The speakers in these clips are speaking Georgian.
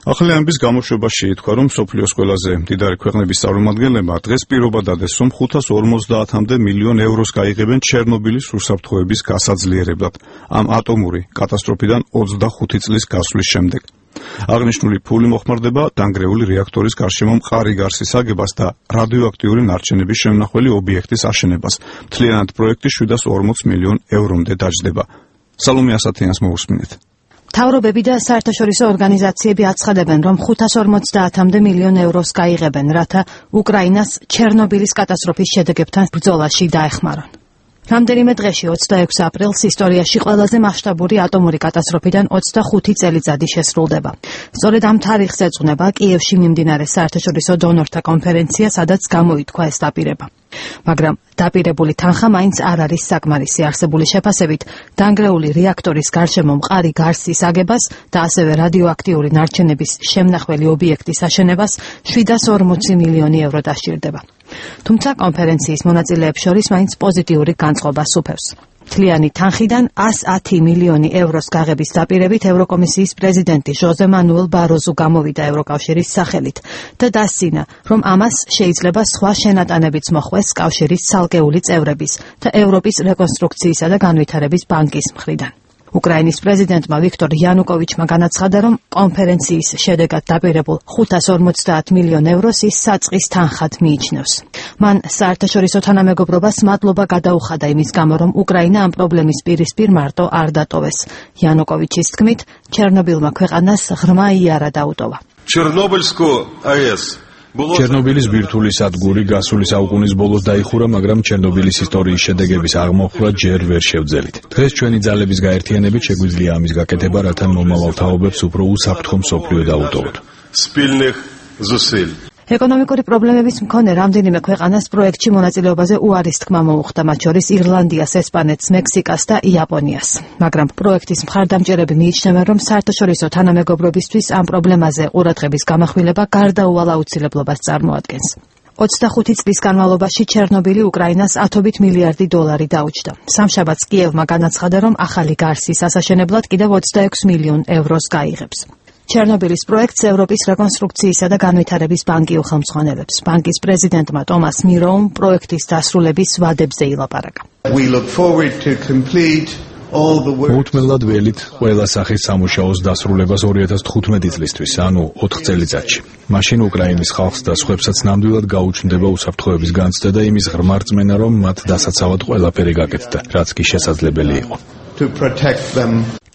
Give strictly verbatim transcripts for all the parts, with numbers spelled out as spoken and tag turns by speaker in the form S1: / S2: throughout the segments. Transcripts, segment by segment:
S1: ახალი ამბის გამოშვებაში ითქვა, რომ მსოფლიოს ყველაზე მდიდარი ქვეყნების წარმომადგენლებმა დღეს პირობა დადეს, რომ ხუთას ორმოცდაათამდე მილიონ ევროს გაიღებენ ჩერნობილის უსაფრთხოების გასაძლიერებლად ამ ატომური კატასტროფიდან ოცდახუთი წლის გასვლის შემდეგ. აღნიშნული ფული მოხმარდება დანგრეული რეაქტორის გარშემო მყარი გარსის აგებას და რადიოაქტიური ნარჩენების შემნახველი ობიექტის აშენებას. მთლიანად პროექტი შვიდას ორმოც მილიონ ევრომდე დაჯდება. სალომე ასათიანს მოусმინეთ.
S2: მთავრობები და საერთაშორისო ორგანიზაციები აცხადებენ, რომ ხუთას ორმოცდაათამდე მილიონ ევროს გაიღებენ, რათა უკრაინას ჩერნობილის კატასტროფის შედეგებთან ბრძოლაში დაეხმარონ. რამდენიმე დღეში ოცდაექვსი აპრილს ისტორიაში ყველაზე მასშტაბური ატომური კატასტროფიდან ოცდახუთი წელიწადი შესრულდება. სწორედ ამ თარიღს ეძღვნება კიევში მიმდინარე საერთაშორისო დონორთა კონფერენცია, სადაც გამოითქვა ეს დაპირება. მაგრამ დაპირებული თანხა მაინც არ არის საკმარისი. არსებული შეფასებით, დანგრეული რეაქტორის გარშემო მყარი გარსის აგებას და ასევე რადიოაქტიური ნარჩენების შემნახველი ობიექტის აშენებას შვიდას ორმოცი მილიონი ევრო დასჭირდება. თუმცა კონფერენციის მონაწილეებს შორის მაინც პოზიტიური განწყობა სუფევს. მთლიანი თანხიდან ას ათი მილიონი ევროს გაღების დაპირებით ევროკომისიის პრეზიდენტი ჟოზე მანუელ ბაროზუ გამოვიდა ევროკავშირის სახელით და დასცინა, რომ ამას შეიძლება სხვა შენატანებიც მოხვეს კავშირის ცალკეული წევრების და ევროპის რეკონსტრუქციისა და განვითარების ბანკის მხრიდან. უკრაინის პრეზიდენტმა ვიქტორ იანუკოვიჩმა განაცხადა, რომ კონფერენციის შედეგად დაპირებულ ხუთას ორმოცდაათ მილიონ ევროს ის საწყის თანხად მიიჩნევს. მან საერთაშორისო თანამეგობრობას მადლობა გადაუხადა იმის გამო, რომ უკრაინა ამ პრობლემის პირისპირ მარტო არ დატოვეს. იანუკოვიჩის თქმით, ჩერნობილმა ქვეყანას ღრმა იარა დაუტოვა.
S3: ჩერნობილსკო აეს
S4: ჩერნობილის ბირთვული სადგური გასული საუკუნის ბოლოს დაიხურა, მაგრამ ჩერნობილის ისტორიის შედეგების აღმოფხვრა ჯერ ვერ შევძელით. დღეს ჩვენი ძალების გაერთიანებით შეგვიძლია ამის გაკეთება, რათა მომავალ თაობებს უფრო უსაფრთხო მსოფლიო დაუტოვოთ.
S3: სპილნიხ ზუსილ
S2: ეკონომიკური პრობლემების მქონე რამდენიმე ქვეყანას პროექტში მონაწილეობაზე უარის თქმა მოუხდა, მათ შორის ირლანდიას, ესპანეთს, მექსიკას და იაპონიას. მაგრამ პროექტის მხარდამჭერები მიიჩნევენ, რომ საერთაშორისო თანამეგობრობისთვის ამ პრობლემაზე ყურადღების გამახვილება გარდაუვალ აუცილებლობას წარმოადგენს. ოცდახუთი წლის განმავლობაში ჩერნობილი უკრაინას ათობით მილიარდი დოლარი დაუჯდა. სამშაბათს კიევმა განაცხადა, რომ ახალი გარსის ასაშენებლად კიდევ ოცდაექვსი მილიონ ევროს გაიღებს. ჩერნობილის პროექტს ევროპის რეკონსტრუქციისა და განვითარების ბანკი უხელმძღვანელებს. ბანკის პრეზიდენტმა ტომას მიროუმ პროექტის დასრულების ვადებზე ილაპარაკა.
S4: მოუთმენლად ველით ყველა სახის სამუშაოს დასრულებას ორი ათას თხუთმეტი წლისთვის, ანუ ოთხ წელიწადში. მაშინ უკრაინის ხალხს და სხვებსაც ნამდვილად გაუჩნდება უსაფრთხოების განცდა და იმის ღრმა რწმენა, რომ მათ დასაცავად ყველაფერი გაკეთდა, რაც კი შესაძლებელი იყო.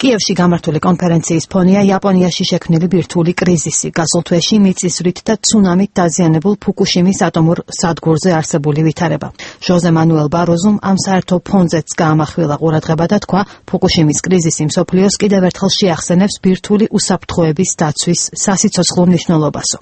S2: კიევში გამართული კონფერენციის ფონია იაპონიაში შექმნილი ბირთვული კრიზისი, გასულ თვეში მიწისძვრით და ცუნამით დაზიანებულ ფუკუშიმის ატომურ სადგურზე არსებული ვითარება. ჟოზე მანუელ ბაროზუმ ამ საერთო ფონზეც გაამახვილა ყურადღება და თქვა, ფუკუშიმის კრიზისი მსოფლიოს კიდევ ერთხელ შეახსენებს ბირთვული უსაფრთხოების დაცვის სასიცოცხლო მნიშვნელობასო.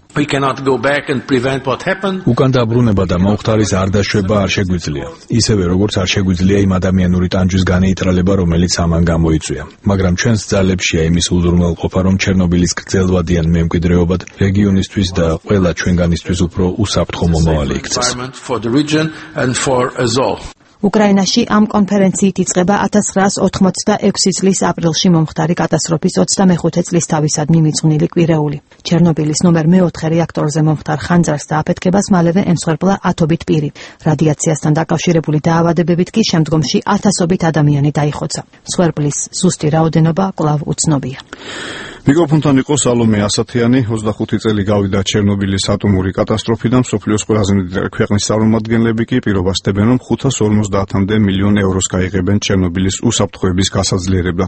S4: უკან დაბრუნება და მომხდარის არ დაშვება არ შეგვიძლია. ისევე როგორც არ შეგვიძლია იმ ადამიანური ტანჯვის განეიტრალება, რომელიც ამან გამოიწვია. მაგრამ ჩვენს ძალებშია იმის უზრუნველყოფა, რომ ჩერნობილის გრძელვადიან მემკვიდრეობად რეგიონისთვის და ყველა ჩვენგანისთვის უფრო უსაფრთხო მომავალი იქცეს.
S2: უკრაინაში ამ კონფერენციით იწყება ათას ცხრაას ოთხმოცდაექვსი წლის აპრილში მომხდარი კატასტროფის ოცდამეხუთე წლის თავისადმი მიძღვნილი კვირეული. ჩერნობილის ნომერ მეოთხე რეაქტორზე მომხდარ ხანძარს და აფეთქებას მალევე ემსხვერპლა ათობით პირი. რადიაციასთან დაკავშირებული დაავადებებით კი შემდგომში ათასობით ადამიანი დაიხოცა. მსხვერპლის ზუსტი რაოდენობა კვლავ უცნობია.
S1: მიკროფონთან იყო სალომე ასათიანი. ოცდახუთი წელი გავიდა ჩერნობილის ატომური კატასტროფიდან. მსოფლიოს ყველაზე მდიდარი ქვეყნის წარმომადგენლები კი პირობას დებენ, რომ ხუთას ორმოცდაათამდე მილიონ ევროს გაიღებენ ჩერნობილის უსაფრთხოების გასაძლიერებლად.